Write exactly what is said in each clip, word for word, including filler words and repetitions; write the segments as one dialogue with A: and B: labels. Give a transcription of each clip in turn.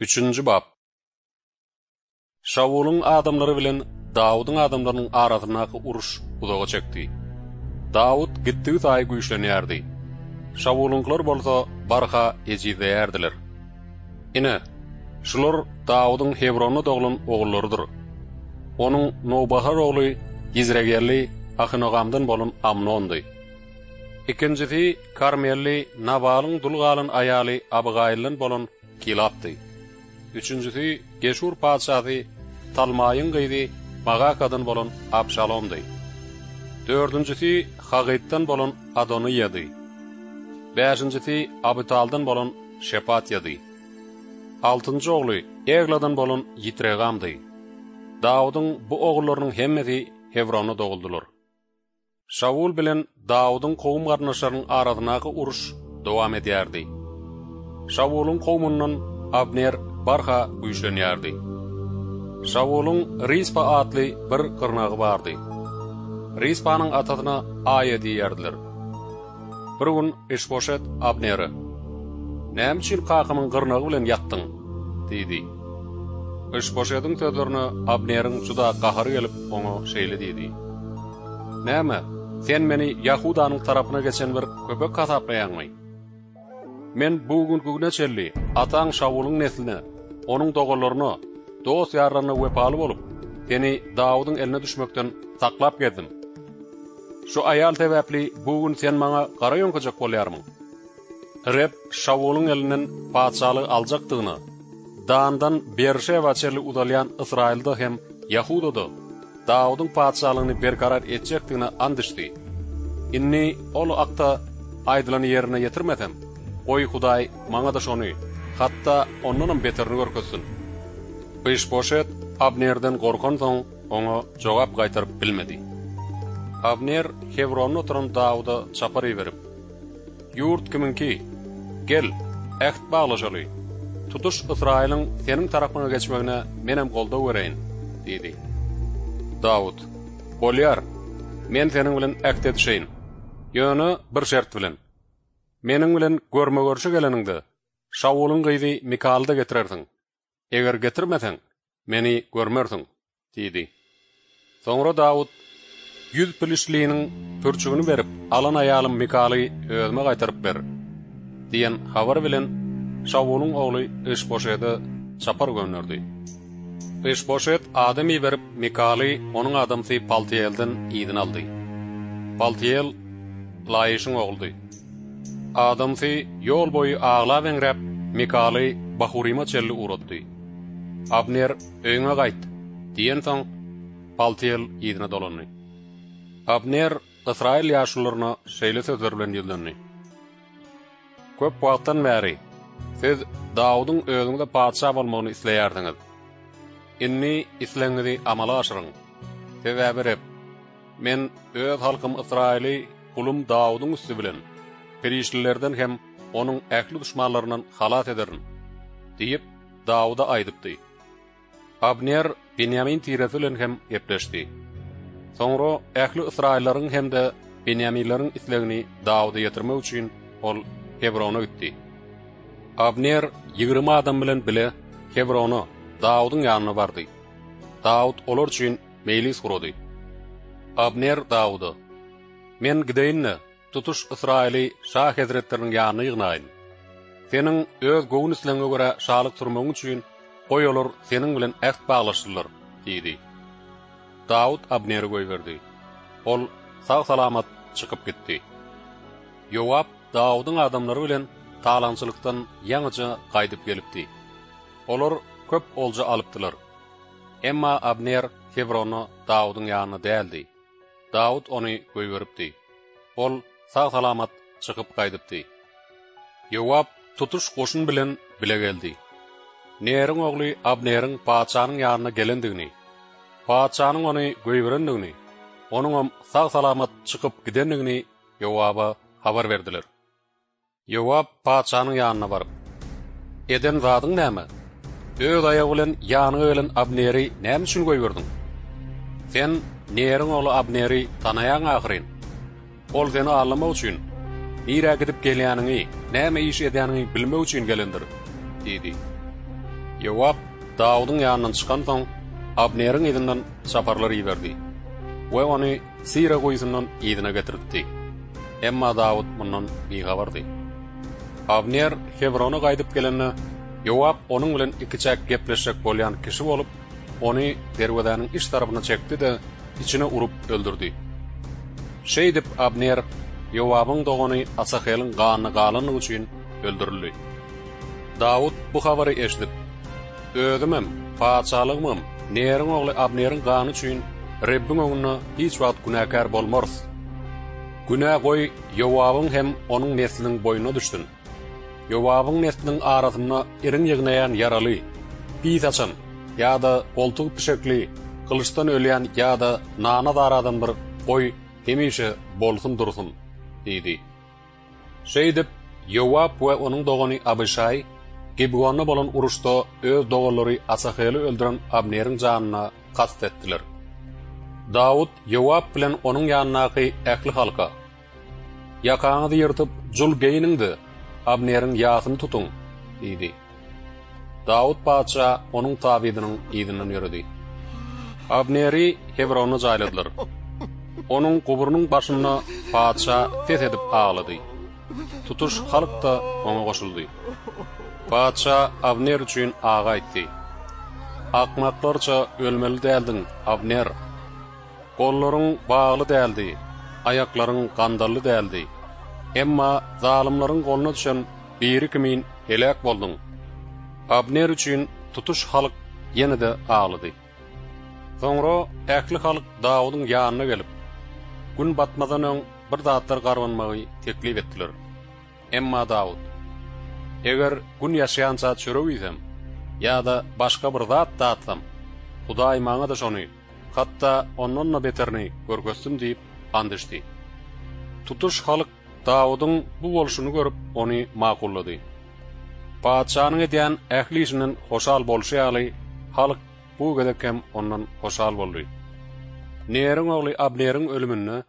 A: Üçünji bap. Şawulyň adamlary bilen Dawudyň adamlarynyň arasyndaky uruş uzaga çekdi. Dawut gitdigi saýy güýçlenýärdi. Şawulyňkylar bolsa barha ejizleýärdiler. Ine, şular Dawudyň Hebronda doglan ogullarydyr. Onuň nowbahar ogly Ýizregelli Ahynogamdan bolan Amnondy. Ikinjisi Karmelli Nabalyň dul galan aýaly Abygaýyldan bolan Kilapdy. Üçünjisi Geşur patyşasy Talmaýyň gyzy Magakadan bolan Abşalomdy. Dördünjisi Hagytdan bolan Adonyýady. Bäşinjisi Abytaldan bolan Şepatýady. Altynjy ogly Egladan bolan Ýitregamdy. Dawudyň bu ogullarynyň hemmesi Hebronda doguldylar. Şawul bilen Dawudyň kowum-garyndaşlarynyň arasyndaky uruş dowam edýärdi. Şawulyň kowumyndan Abner barha güýçlenýärdi. Şawulyň Rispa atly bir gyrnagy bardy. Rispanyň atasyna Aýa diýýärdiler. Bir gün Işboşet Abnere, Näme üçin kakamyň gyrnagy bilen ýatdyň? diýdi. Işboşediň sözlerine Abneriň juda gahary gelip, oňa şeýle diýdi, Näme, sen meni Ýahudanyň tarapyna geçen bir köpek hasaplaýaňmy? Men bu günki güne çenli ataň Şawulyň nesline, onuň doganlaryna, dost-ýarlaryna wepaly bolup, seni Dawudyň eline düşmekden saklap gezdim. Şu aýal sebäpli bu gün sen maňa gara ýöňkejek bolýarmyň? Reb Şawulyň elinden patyşalygy aljakdygyna, Dandan Berşeba çenli uzalýan Ysraýylda hem Ýahudada Dawudyň patyşalygyny berkarar etjekdigine ant içdi. Indi ol hakda aýdylany ýerine ýetirmesem, goý Hudaý maňa-da şony, hatda ondanam beterini görkezsin. Yşboşet Abnerden gorkansoň, oňa jogap gaýtaryp bilmedi. Abner Hebronda oturan Dawuda çapar iberip, Ýurt kimiňki? Gel, äht baglaşaly. Tutuş Ysraýylyň seniň tarapyňa geçmegine menem goldaw bereýin diýdi. Dawut, Bolýar, men seniň bilen äht edişeýin. Ýöne bir şert bilen. Meniň bilen görme-görşe geleniňde, Şawulyň gyzy Mikaly-da getirersiň. Eger getirmeseň, meni görmersiň diýdi. Soňra Dawut, Ýüz piliştliniň pürçügini berip alan aýalym Mikaly özüme gaýtaryp ber diýen habar bilen Şawulyň ogly Yşboşede çapar gönderdi. Yşboşet adam iberip, Mikaly onuň adamsy Paltyýelden yzyna aldy. Paltyýel Laýyşyň ogludy. Adamsy ýol boýy aglap-eňräp, Mikaly Bahuryma çenli ugratdy. Abner, Öýüňe gaýt! diýensoň, Paltyýel yzyna dolandy. Abner ysraýyl ýaşulularyna şeýle sözler bilen ýüzlendi, Köp wagtdan bäri siz Dawudyň özüňize patyşa bolmagyny isleýärsiňiz. Indi islegiňizi amala aşyryň. Sebäbi Reb, Men öz halkym Ysraýyly gulum Dawudyň üsti bilen perişdelerden hem onuň ähli duşmanlaryndan halas ederin diýip, Dawuda aýdypdy. Abner Benýamin tiresi bilen hem gepleşdi. Soňra ähli ysraýyllaryň hem-de benýaminleriň islegini Dawuda ýetirmek üçin ol Hebrona gitdi. Abner ýigrimi adam bilen bile Hebrona, Dawudyň ýanyna bardy. Dawut olar üçin meýlis gurady. Abner Dawuda, Men gideýin-de, tutuş Ysraýyly şa hezretleriniň ýanyna ýygnaýyn. Seniň öz göwün islegiňe görä şalyk sürmegiň üçin, goý olar seniň bilen äht baglaşsynlar diýdi. Dawut Abneri goýberdi. Ol sag-salamat çykyp gitdi. Ýowap Dawudyň adamlary bilen talaňçylykdan ýaňyja gaýdyp gelipdi. Olar köp olja alypdylar. Emma Abner Hebronda Dawudyň ýanynda däldi. Dawut ony goýberipdi. Ol sag-salamat çykyp gaýdypdy. Ýowap tutuş goşun bilen bile geldi. Neriň ogly Abneriň patyşanyň ýanyna gelendigini, patyşanyň ony goýberendigini, onuňam sag-salamat çykyp gidendigini Ýowaba habar berdiler. Ýowap patyşanyň ýanyna baryp, Eden zadyň näme? Öz aýagy bilen ýanyňa gelen Abneri näme üçin goýberdiň? Sen Neriň ogly Abneri tanaýaň ahyryn. Ol seni aldamak üçin, nirä gidip gelýäniňi, näme iş edýäniňi bilmek üçin gelendir diýdi. Ýowap Dawudyň ýanyndan çykansoň, Abneriň yzyndan çaparlar iberdi we ony Sira guýusyndan yzyna getirtdi. Emma Dawut mundan bihabardy. Abner Hebrona gaýdyp gelende, Ýowap onuň bilen ikiçäk gepleşjek bolýan kişi bolup, ony derwezäniň iç tarapyna çekdi-de, içine urup öldürdi. Şeýdip Abner Ýowabyň dogany Asaheliň ganyna galanlygy üçin öldürildi. Dawut bu habary eşidip, Özümem, patyşalygymam Neriň ogly Abneriň gany üçin Rebbiň öňünde hiç wagt günäkär bolmarys. Günä goý Ýowabyň hem onuň nesliniň boýnuna düşsün. Ýowabyň nesliniň arasynda iriň ýygnaýan ýaraly, pis açan ýa-da goltugy pişekli, gylyçdan ölýän ýa-da nana zaradan bir goý hemişe bolsun dursun diýdi. Şeýdip, Ýowap we onuň dogany Abyşaý Gibgonda bolan uruşda öz doganlary Asaheli öldüren Abneriň janyna kast etdiler. Dawut Ýowap bilen onuň ýanyndaky ähli halka, Ýakaňyzy ýyrtyp, jul geýniň-de, Abneriň ýasyny tutuň diýdi. Dawut patyşa onuň tabydynyň yzyndan ýöredi. Abneri Hebronda jaýladylar. Onuň guburynyň başynda patyşa ses edip aglady. Tutuş halk-da oňa goşuldy. Patyşa Abner üçin agy aýtdy. Akmaklarça ölmeli däldiň, Abner! Gollaryň bagly däldi, aýaklaryň gandally däldi. Emma zalymlaryň goluna düşen biri kimin heläk bolduň. Abner üçin tutuş halk ýene-de aglady. Soňra ähli halk Dawudyň ýanyna gelip, gün batmazdan öň bir zatlar garbanmagy teklip etdiler. Emma Dawut, Eger gün ýaşýança çörek iýsem ýa-da başga bir zat datsam, Hudaý maňa-da şony, hatda ondan-da beterini görkezsin diýip ant içdi. Tutuş halk Dawudyň bu bolşuny görüp, ony makullady. Patyşanyň edýän ähli işinden hoşal bolşy ýaly, halk bu gezek hem ondan hoşal boldy. Neriň ogly Abneriň ölüminde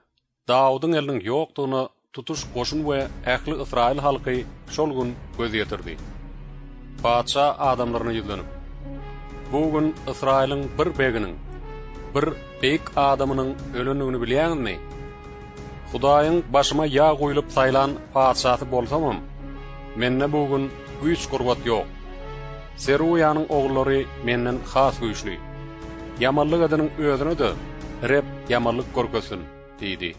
A: Dawudyň eliniň ýokdugyna tutuş goşun we ähli ysraýyl halky şol gün göz ýetirdi. Patyşa adamlaryna ýüzlenip, Bu gün Ysraýylyň bir beginiň, bir beýik adamynyň ölendigini bilýäňizmi? Hudaýyň başyma ýag guýlup saýlan patyşasy bolsamam, mende bu gün güýç-gurbat ýok. Seruýanyň ogullary menden has güýçli. Ýamanlyk edeniň özüne-de Reb ýamanlyk görkezsin diýdi.